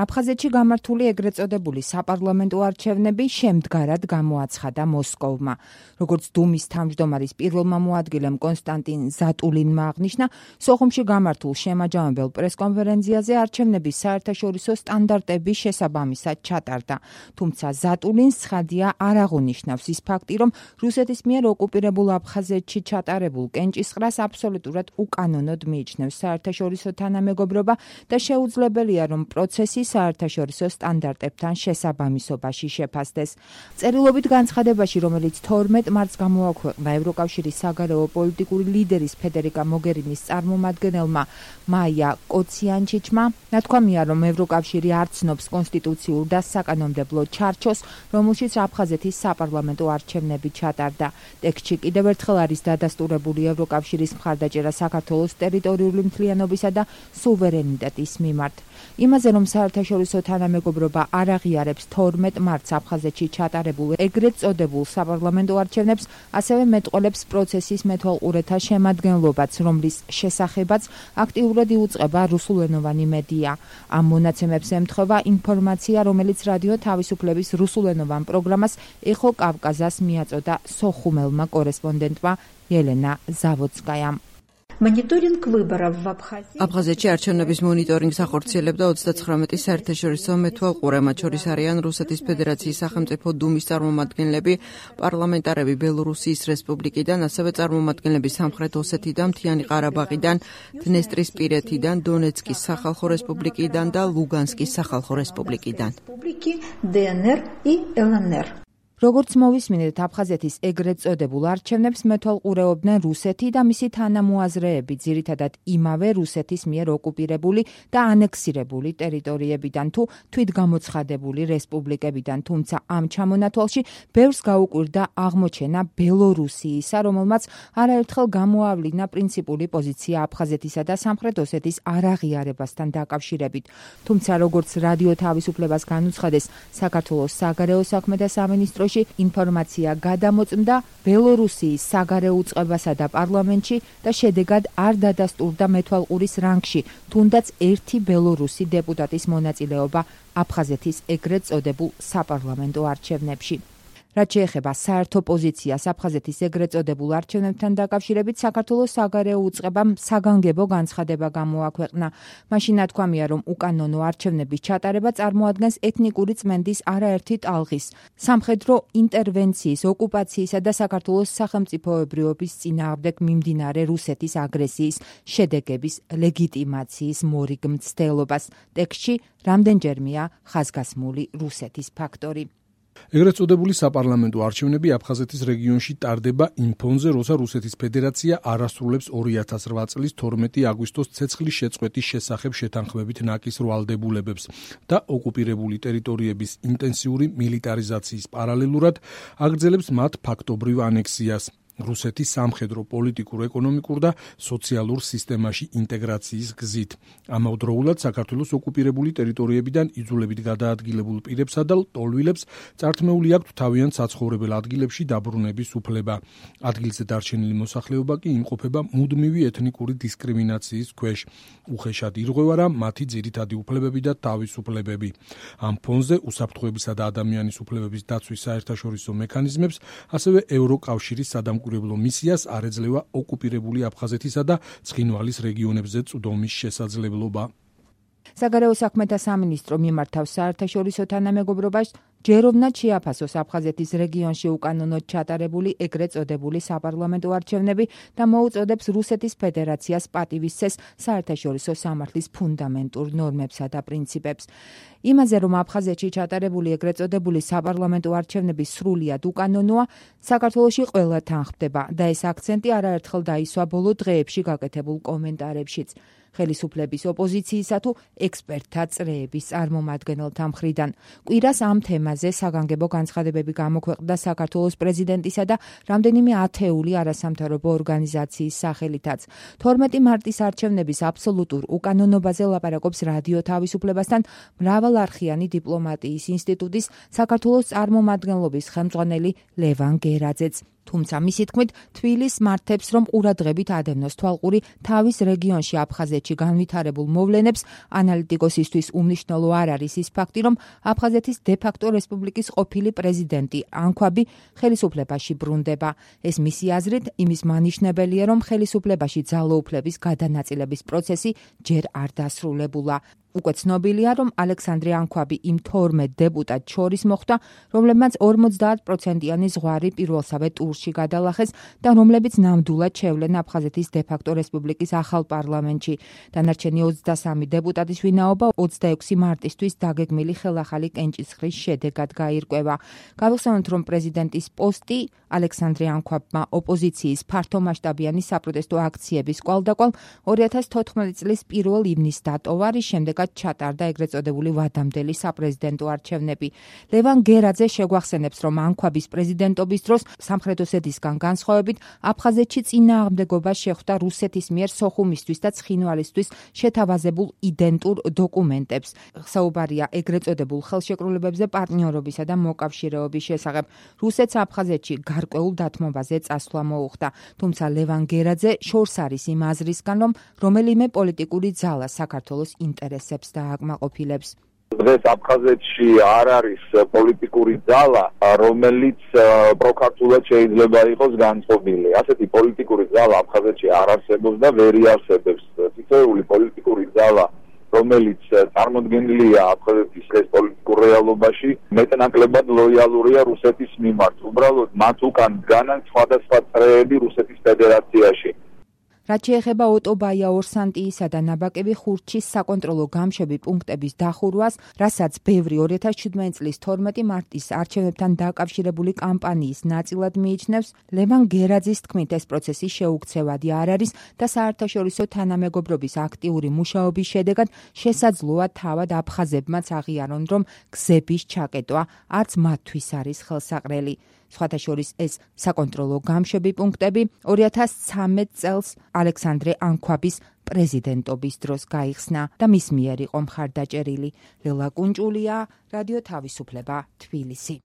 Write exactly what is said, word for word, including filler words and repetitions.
აფხაზეთში გამართული ეგრეთ წოდებული საპარლამენტო არჩევნები შემდგარად გამოაცხადა მოსკოვმა. Როგორც დუმის თავმჯდომარის პირველმა მოადგილემ კონსტანტინ ზატულინმა აღნიშნა, სოხუმში გამართულ შემაჯამებელ პრესკონფერენციაზე არჩევნების საერთაშორისო სტანდარტების შესაბამისად ჩატარდა. Თუმცა ზატულინს ცხადია არ აღუნიშნავს ის ფაქტი, რომ რუსეთის მიერ ოკუპირებულ აფხაზეთში ჩატარებულ კენჭისყრას აბსოლუტურად უკანონოდ მიიჩნევს საერთაშორისო თანამეგობრობა და შეუძლებელია, რომ პროცესი საერთაშორისო სტანდარტებთან შესაბამისობაში შეფასდეს. წერილობით განცხადებაში, რომელიც თორმეტ მარტს გამოაქვეყნა ევროკავშირის საგარეო პოლიტიკური ლიდერის ფედერიკა მოგერინის წარმომადგენელმა მაია კოციანჩიჩმა, ნათქვამია, რომ ევროკავშირი არ ცნობს კონსტიტუციურ და საკანონმდებლო ჩარჩოს, რომელშიც აფხაზეთის საპარლამენტო არჩევნები ჩატარდა. ტექსტში კიდევ ერთხელ არის დადასტურებული ევროკავშირის მხარდაჭერა საქართველოს ტერიტორიული მთლიანობისა და სუვერენიტეტის მიმართ. იმაზე, რომ საერთაშორისო თანამეგობრობა არ აღიარებს თორმეტ მარტს აფხაზეთში ჩატარებულ ეგრეთ წოდებულ საპარლამენტო არჩევნებს, ასევე მეტყოლებს პროცესის მეთვალყურეთა შემადგენლობაც, რომლის შესახებაც აქტიურად იუწყება რუსულენოვანი მედია. ამ მონაცემებს ემთხვევა ინფორმაცია, რომელიც რადიო თავისუფლების რუსულენოვან პროგრამას ეხო კავკაზას მიაწოდა სოხუმელმა კორესპონდენტმა ელენა ზავოცკაიამ. Мониторинг выборов в Абхазии. აფხაზეთში არჩევნების მონიტორინგს ახორციელებდა ოცდაცხრამეტი საერთაშორისო მეთვალყურე, მათ შორის არიან რუსეთის ფედერაციის სახელმწიფო დუმის წარმომადგენლები, პარლამენტარები ბელორუსიის რესპუბლიკიდან, ასევე წარმომადგენლები სამხრეთ ოსეთიდან, მთიანი ყარაბაღიდან, დნესტრისპირეთიდან, დონეცკის სახალხო რესპუბლიკიდან და ლუგანსკის სახალხო რესპუბლიკიდან. ДНР и ЛНР. როგორც მოვისმინეთ, აფხაზეთის ეგრეთ წოდებულ არჩევნებს მეთვალყურეობდნენ რუსეთი და მისი თანამოაზრეები, ძირითადად იმავე რუსეთის მიერ ოკუპირებული და ანექსირებული ტერიტორიებიდან თუ თვითგამოცხადებული რესპუბლიკებიდან, თუმცა ამ ჩამონათვალში ბევრს გაუკვირდა აღმოჩენა ბელორუსიისა, რომელმაც არაერთხელ გამოავლინა პრინციპული პოზიცია აფხაზეთისა და სამხრეთ ოსეთის არაღიარებასთან დაკავშირებით. თუმცა როგორც რადიო თავისუფლებას განუცხადეს საქართველოს საგარეო საქმეთა სამინისტროში, ინფორმაცია გადამოწმდა ბელორუსიის საგარეო უწყებასა და პარლამენტში და შედეგად არ დადასტურდა მეთვალყურის რანგში თუნდაც ერთი ბელორუსი დეპუტატის მონაწილეობა აფხაზეთის ეგრეთ წოდებულ საპარლამენტო არჩევნებში. რაც შეეხება საერთო პოზიციას აფხაზეთის ეგრეთ წოდებულ არჩევნებთან დაკავშირებით, საქართველოს საგარეო უწყებამ საგანგებო განცხადება გამოაქვეყნა. მაშინ ნათქვამია, რომ უკანონო არჩევნების ჩატარება წარმოადგენს ეთნიკური წმენდის არაერთი ტალღის, სამხედრო ინტერვენციის, ოკუპაციისა და საქართველოს სახელმწიფოებრიობის წინააღმდეგ მიმდინარე რუსეთის აგრესიის შედეგების ლეგიტიმაციის მორიგ მცდელობას. ტექსტში რამდენჯერმეა ხაზგასმული რუსეთის ფაქტორი. ეგრეთ წოდებული საპარლამენტო არჩევნები აფხაზეთის რეგიონში ტარდება იმ ფონზე, როცა რუსეთის ფედერაცია არასრულებს ორი ათას რვა წლის თორმეტი აგვისტოს ცეცხლის შეწყვეტის შესახებ შეთანხმებით ნაკის რვალდებულებებს და ოკუპირებული ტერიტორიების ინტენსიური მილიტარიზაციის პარალელურად აგრძელებს მათ ფაქტობრივ ანექსიას. რუსეთის სამხედრო, პოლიტიკურ, ეკონომიკურ და სოციალურ სისტემაში ინტეგრაციის გზით. ამავდროულად საქართველოს ოკუპირებული ტერიტორიებიდან იძულებით გადაადგილებულ პირებსა და ლტოლვილებს წართმეული აქვთ თავიანთ საცხოვრებელ ადგილებში დაბრუნების უფლება. ადგილზე დარჩენილი მოსახლეობა კი იმყოფება მუდმივი ეთნიკური დისკრიმინაციის ქვეშ. უხეშად ირღვევა მათი ძირითადი უფლებები და თავისუფლებები. ამ ფონზე უსაფრთხოებისა და ადამიანის უფლებების დაცვის საერთაშორისო მექანიზმებს, ასევე ევროკავშირის სადამკვირვებლო მისიას არ ეძლევა ოკუპირებული აფხაზეთისა და ცხინვალის რეგიონებზე წვდომის შესაძლებლობა. საგარეო საქმეთა სამინისტრო მიმართავს საერთაშორისო თანამეგობრობას ჯეროვნად შეაფასოს აფხაზეთის რეგიონში უკანონოდ ჩატარებული ეგრეთ წოდებული საპარლამენტო არჩევნები და მოუწოდებს რუსეთის ფედერაციას პატივისცეს საერთაშორისო სამართლის ფუნდამენტურ ნორმებსა და პრინციპებს. იმაზე, რომ აფხაზეთში ჩატარებული ეგრეთ წოდებული საპარლამენტო არჩევნები სრულიად უკანონოა, საქართველოში ყველა თანხმდება და ეს აქცენტი არაერთხელ დაისვა ბოლო დღეებში გაკეთებულ კომენტარებშიც. ხელისუფლების ოპოზიციისა თუ ექსპერტთა წრეების წარმომადგენელთა მხრიდან. კვირას ამ თემაზე საგანგებო განცხადებები გამოქვეყნდა საქართველოს პრეზიდენტისა და რამდენიმე ათეული არასამთავრობო ორგანიზაციის სახელითაც. თორმეტი მარტის არჩევნების აბსოლუტურ უკანონობაზე ლაპარაკობს რადიო თავისუფლებასთან მრავალარხიანი დიპლომატიის ინსტიტუტის საქართველოს წარმომადგენლობის ხელმძღვანელი ლევან გერაძეც. თუმცა მისი თქმით, თბილისს მართებს, რომ ყურადღებით ადევნოს თვალყური თავის რეგიონში აფხაზეთში განვითარებულ მოვლენებს. ანალიტიკოსისთვის უმნიშვნელო არ არის ის ფაქტი, რომ აფხაზეთის დე-ფაქტო რესპუბლიკის ყოფილი პრეზიდენტი ანქვაბი ხელისუფლებაში ბრუნდება. ეს მისი აზრით იმის მანიშნებელია, რომ ხელისუფლებაში ძალოუფლების გადანაწილების პროცესი ჯერ არ დასრულებულა. უკვე ცნობილია, რომ ალექსანდრე ანქვაბი იმ თორმეტ დეპუტატს შორის მოხვდა, რომლებმაც ორმოცდაათ პროცენტიანი ზღვარი პირველსავე ტურში გადალახეს და რომლებიც ნამდვილად შევლენ აფხაზეთის დე-ფაქტო რესპუბლიკის ახალ პარლამენტში. დანარჩენი ოცდასამი დეპუტატის ვინაობა ოცდაექვსი მარტისთვის დაგეგმილი ხელახალი კენჭისყრის შედეგად გაირკვევა. გავიხსენოთ, რომ პრეზიდენტის პოსტი ალექსანდრე ანქვაბმა ოპოზიციის ფართომასშტაბიანი საპროტესტო აქციების კვალდაკვალ ორი ათას თოთხმეტი წლის პირველ ივნისს დატოვა, რის შემდეგაც ჩატარდა ეგრეთ წოდებული ვადამდელი საპრეზიდენტო არჩევნები. ლევან გერაძე შეგვახსენებს, რომ ანქვაბის პრეზიდენტობის დროს სამხრეთ ოსეთისგან განსხვავებით აფხაზეთში წინააღმდეგობა შეხვდა რუსეთის მიერ სოხუმისთვის და ცხინვალისთვის შეთავაზებულ იდენტურ დოკუმენტებს. საუბარია ეგრეთ წოდებულ ხელშეკრულებებზე პარტნიორობისა და მოკავშირეობის შესახებ. რუსეთს აფხაზეთში გარკვეულ დათმობაზე წასვლა მოუხდა. თუმცა ლევან გერაძე შორს არის იმ აზრისგან, რომ რომელიმე პოლიტიკური ძალა საქართველოს ინტერესებს დააკმაყოფილებს. დღეს აფხაზეთში არ არის პოლიტიკური ძალა, რომელიც პროქართულად შეიძლება იყოს განწყობილი. ასეთი პოლიტიკური ძალა აფხაზეთში არ არსებობს და ვერ იარსებებს. თითოეული პოლიტიკური ძალა, რომელიც წარმოდგენილია აფხაზეთის ეს პოლიტიკურ რეალობაში, მეტნაკლებად ლოიალურია რუსეთის მიმართ. უბრალოდ მათ უკან დგანან სხვადასხვა წრეები რუსეთის ფედერაციაში. რაც შეეხება ოტო ბაია-ორსანტიისა და ნაბაკები ხურჩის საკონტროლო გამშვები პუნქტების დახურვას, რასაც ბევრი ორი ათას შვიდმეტი წლის თორმეტი მარტის არჩევნებთან დაკავშირებული კამპანიის ნაწილად მიიჩნევს, ლევან გერაძის თქმით, ეს პროცესი შეუქცევადი არ არის და საერთაშორისო თანამეგობრობის აქტიური მუშაობის შედეგად შესაძლოა თავად აფხაზებმაც აღიარონ, რომ გზების ჩაკეტვა არც მათთვის არის ხელსაყრელი. სხვათა შორის ეს საკონტროლო გამშვები პუნქტები ორი ათას ცხრამეტ წელს ალექსანდრე ანქვაბის პრეზიდენტობის დროს გაიხსნა და მის მიერ იყო მხარდაჭერილი. ლელა კუნჭულია, რადიო თავისუფლება, თბილისი.